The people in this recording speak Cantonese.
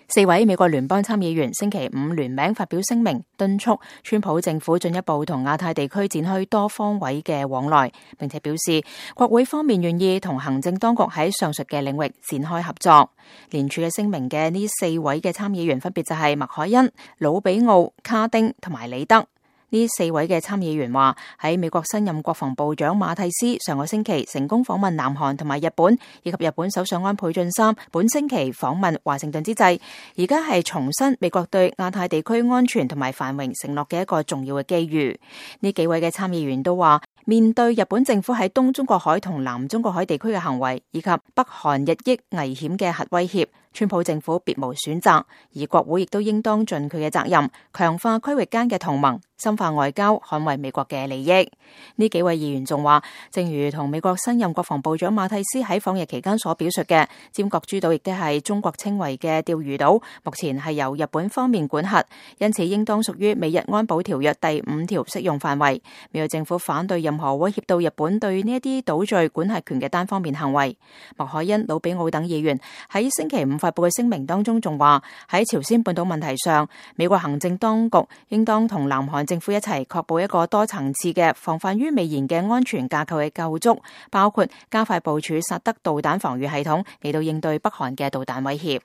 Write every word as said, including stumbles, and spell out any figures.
四位美國聯邦參議員星期五聯名發表聲明，敦促川普政府進一步同亞太地區展開多方位嘅往來，並且表示國會方面願意同行政當局喺上述嘅領域展開合作。聯署嘅聲明嘅呢四位嘅參議員分別就係麥凱恩、魯比奧、卡丁同埋李德。呢四位嘅參議員話，喺美國新任國防部長馬蒂斯上個星期成功訪問南韓同埋日本，以及日本首相安倍晉三本星期訪問華盛頓之際，而家係重申美國對亞太地區安全同埋繁榮承諾嘅一個重要嘅機遇。呢幾位嘅參議員都話，面對日本政府喺東中國海同南中國海地區嘅行為，以及北韓日益危險嘅核威脅，川普政府別無選擇，而國會亦都應當盡佢嘅責任，強化區域間嘅同盟，深化外交，捍衛美國嘅利益。呢幾位議員仲話，正如同美國新任國防部長馬蒂斯喺訪日期間所表述嘅，尖閣諸島亦都係中國稱為嘅釣魚島，目前係由日本方面管轄，因此應當屬於美日安保條約第五條適用範圍。美國政府反對任何威脅到日本對呢一啲島嶼管轄權嘅單方面行為。麥凱恩、魯比奧等議員喺星期五發布嘅聲明當中仲話，喺朝鮮半島問題上，美國行政當局應當同南韓政府一齊確保一個多層次嘅防範於未然嘅安全架構嘅構築，包括加快部署薩德導彈防禦系統嚟到應對北韓嘅導彈威脅。